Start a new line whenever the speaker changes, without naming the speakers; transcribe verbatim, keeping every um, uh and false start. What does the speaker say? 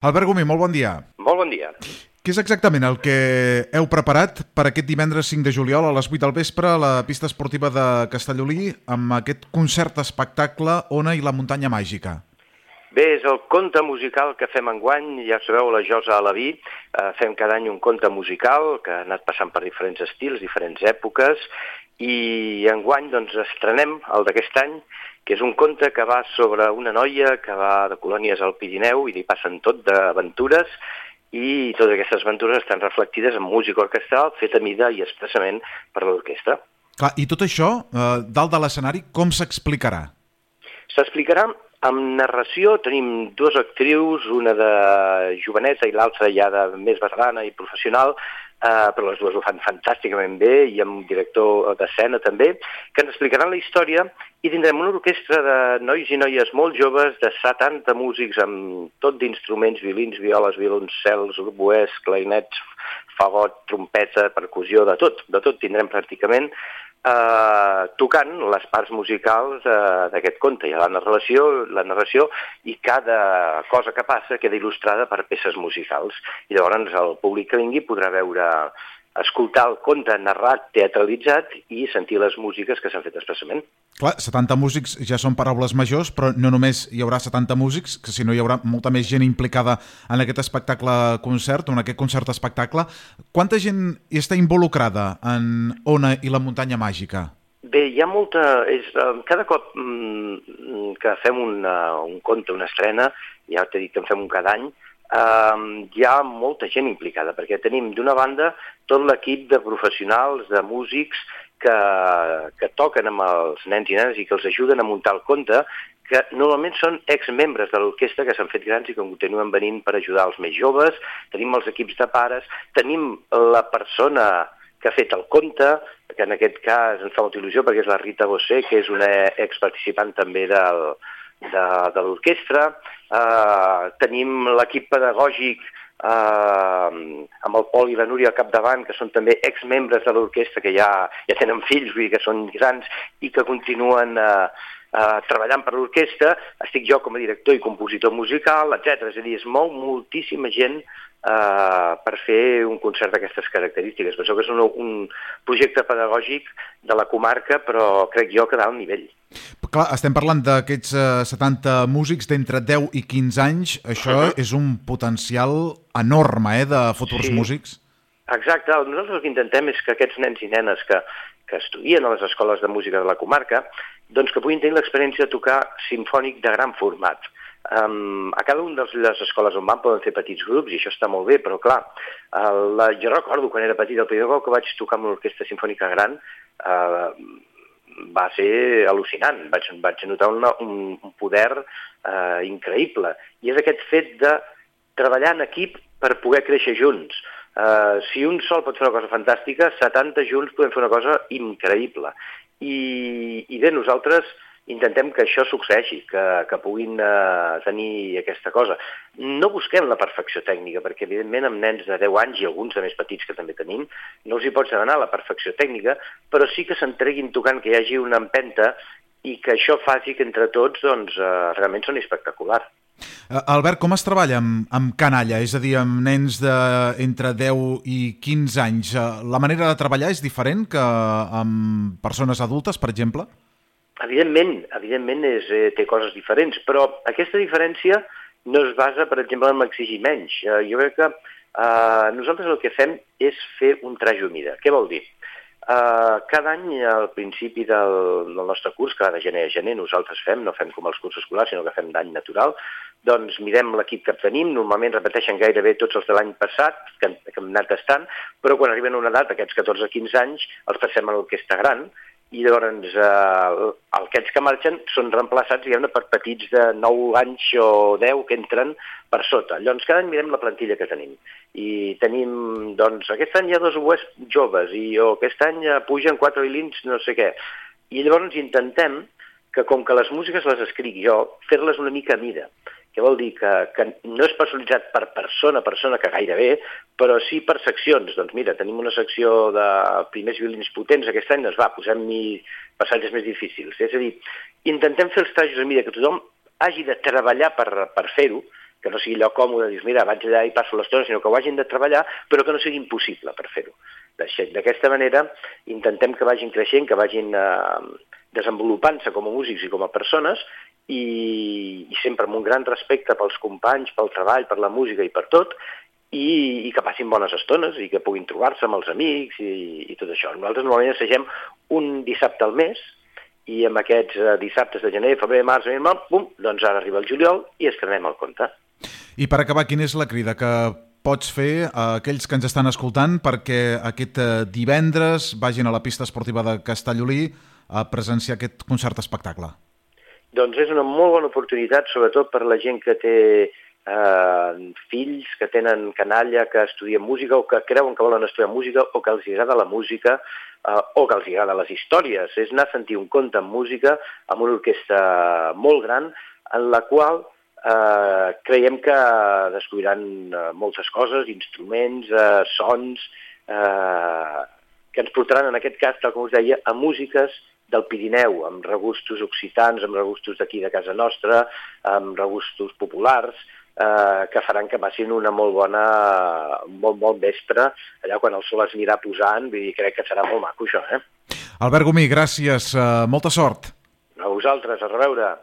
Albert Gomí, molt bon dia.
Molt bon dia.
Què és exactament el que heu preparat per aquest divendres cinc de juliol a les vuit del vespre a la pista esportiva de Castellolí amb aquest concert-espectacle Ona i la muntanya màgica?
Bé, és el conte musical que fem enguany, ja sabeu, la Josa Alaví, eh, fem cada any un conte musical que ha anat passant per diferents estils, diferents èpoques, i enguany doncs estrenem el d'aquest any, que és un conte que va sobre una noia que va de colònies al Pirineu i hi passen tot d'aventures, i totes aquestes aventures estan reflectides en música orquestral feta a mida i expressament per l'orquestra.
Clar, i tot això, eh, dalt de l'escenari, com s'explicarà?
S'explicarà amb narració. Tenim dues actrius, una de joveneta i l'altra ja de més veterana i professional, eh, però les dues ho fan fantàsticament bé, i amb un director d'escena també, que ens explicaran la història, i tindrem una orquestra de nois i noies molt joves, de setanta músics amb tot d'instruments, violins, violes, violoncels, oboès, clarinets, fagot, trompeta, percussió, de tot, de tot tindrem pràcticament, eh, tocant les parts musicals eh, d'aquest conte. Hi ha la narració, la narració i cada cosa que passa queda il·lustrada per peces musicals. I llavors el públic que vingui podrà veure, escoltar el conte narrat, teatralitzat, i sentir les músiques que s'han fet expressament.
Clar, setanta músics ja són paraules majors, però no només hi haurà setanta músics, que si no hi haurà molta més gent implicada en aquest espectacle-concert, o en aquest concert-espectacle. Quanta gent hi està involucrada en Ona i la muntanya màgica?
Bé, hi ha molta... És, cada cop mm, que fem una, un conte, una estrena, ja t'he dit que en fem un cada any, Uh, hi ha molta gent implicada, perquè tenim d'una banda tot l'equip de professionals, de músics que, que toquen amb els nens i nenes i que els ajuden a muntar el conte, que normalment són exmembres de l'orquestra que s'han fet grans i que continuen venint per ajudar els més joves. Tenim els equips de pares, tenim la persona que ha fet el conte, que en aquest cas ens fa molta il·lusió perquè és la Rita Bossé, que és una exparticipant també del de, de l'orquestra. Uh, tenim l'equip pedagògic uh, amb el Pol i la Núria al capdavant, que són també exmembres de l'orquestra, que ja, ja tenen fills, vull dir que són grans i que continuen uh, uh, treballant per l'orquestra. Estic jo com a director i compositor musical, etcètera. És a dir, es mou moltíssima gent Uh, per fer un concert d'aquestes característiques. Per això que és un, un projecte pedagògic de la comarca, però crec jo que d'alt nivell.
Clar, estem parlant d'aquests uh, setanta músics d'entre deu i quinze anys. Això uh-huh. és un potencial enorme, eh, de futurs sí. músics.
Exacte. Nosaltres el que intentem és que aquests nens i nenes que, que estudien a les escoles de música de la comarca, doncs que puguin tenir l'experiència de tocar simfònic de gran format. Um, a cada una de les escoles on van poden fer petits grups, i això està molt bé, però clar, uh, la, jo recordo quan era petit, el primer cop que vaig tocar amb l'orquestra simfònica gran uh, va ser al·lucinant, vaig, vaig notar una, un, un poder uh, increïble, i és aquest fet de treballar en equip per poder créixer junts. Uh, si un sol pot fer una cosa fantàstica, setanta junts podem fer una cosa increïble. I, i bé, nosaltres intentem que això succeeixi, que, que puguin uh, tenir aquesta cosa. No busquem la perfecció tècnica, perquè evidentment amb nens de deu anys i alguns de més petits que també tenim, no els hi pots demanar la perfecció tècnica, però sí que s'entreguin tocant, que hi hagi una empenta i que això faci que entre tots doncs, uh, realment són espectacular.
Uh, Albert, com es treballa amb, amb canalla? És a dir, amb nens d'entre deu i quinze anys. Uh, la manera de treballar és diferent que amb persones adultes, per exemple?
Evidentment, evidentment és, eh, té coses diferents, però aquesta diferència no es basa, per exemple, en exigir menys. Eh, jo crec que eh, nosaltres el que fem és fer un traje a mida. Què vol dir? Eh, cada any, al principi del, del nostre curs, que de gener a gener nosaltres fem, no fem com els cursos escolars, sinó que fem d'any natural, doncs mirem l'equip que tenim, normalment repeteixen gairebé tots els de l'any passat, que, que hem anat tastant, però quan arriben a una edat, aquests catorze a quinze anys, els passem a l'orquestra gran, i llavors eh, aquests que marxen són reemplaçats, diguem-ne, per petits de nou anys o deu que entren per sota. Llavors cada any mirem la plantilla que tenim. I tenim, doncs, aquest any hi ha dos oboès joves, i o aquest any pugen quatre violins, no sé què. I llavors intentem que, com que les músiques les escric jo, fer-les una mica a mida. Què vol dir? Que, que no és personalitzat per persona a persona, que gairebé, però sí per seccions. Doncs mira, tenim una secció de primers violins potents aquest any, doncs va, posem-hi passatges més difícils. És a dir, intentem fer els trajos a mida, que tothom hagi de treballar per, per fer-ho, que no sigui allò còmode, dius, mira, vaig allà i passo l'estona, sinó que ho hagin de treballar, però que no sigui impossible per fer-ho. D'aquesta manera intentem que vagin creixent, que vagin eh, desenvolupant-se com a músics i com a persones, i, i sempre amb un gran respecte pels companys, pel treball, per la música i per tot, i, i que passin bones estones i que puguin trobar-se amb els amics i, i tot això. Nosaltres normalment assagem un dissabte al mes, i amb aquests eh, dissabtes de gener, febrer, març, abril, maig, bum, doncs ara arriba el juliol i estrenem el conte.
I per acabar, quina és la crida que pots fer a aquells que ens estan escoltant perquè aquest divendres vagin a la pista esportiva de Castellolí a presenciar aquest concert-espectacle?
Doncs és una molt bona oportunitat, sobretot per la gent que té eh, fills, que tenen canalla, que estudien música o que creuen que volen estudiar música o que els agrada la música eh, o que els agrada les històries. És anar a sentir un conte amb música amb una orquestra molt gran en la qual Uh, creiem que descobriran uh, moltes coses, instruments, uh, sons, uh, que ens portaran, en aquest cas, tal com us deia, a músiques del Pirineu, amb regustos occitans, amb regustos d'aquí de casa nostra, amb regustos populars, uh, que faran que passin una molt bona, un bon, bon vespre, allà quan el sol es anirà posant, vull dir, crec que serà molt maco això, eh?
Albert Gomí, gràcies, uh, molta sort.
A vosaltres, a reveure.